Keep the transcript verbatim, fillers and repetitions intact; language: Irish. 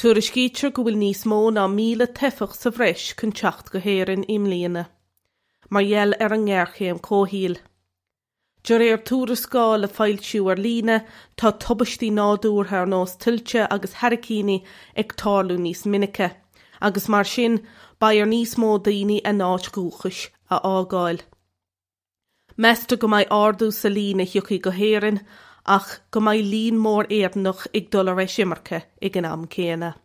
Tuairiscítear go bhfuil níos mó ná míle teifeach sa bhreis chun teacht go hÉirinn i mbliana, mar gheall ar an ngéarchéim comhshaoil. De réir tuarascáil a foilsíodh ar líne tá tubaistí nádúrtha ar nós tuilte agus hairicíní ag tarlú níos minice, agus mar sin beidh ar níos mó daoine a n-áit dhúchais a fhágáil. Meastar go mbeidh ardú sa líon a thiocfaidh go hÉirinn ach go mbeidh líon mór Éireannach ag dul ar eisimirce ag an am céanna.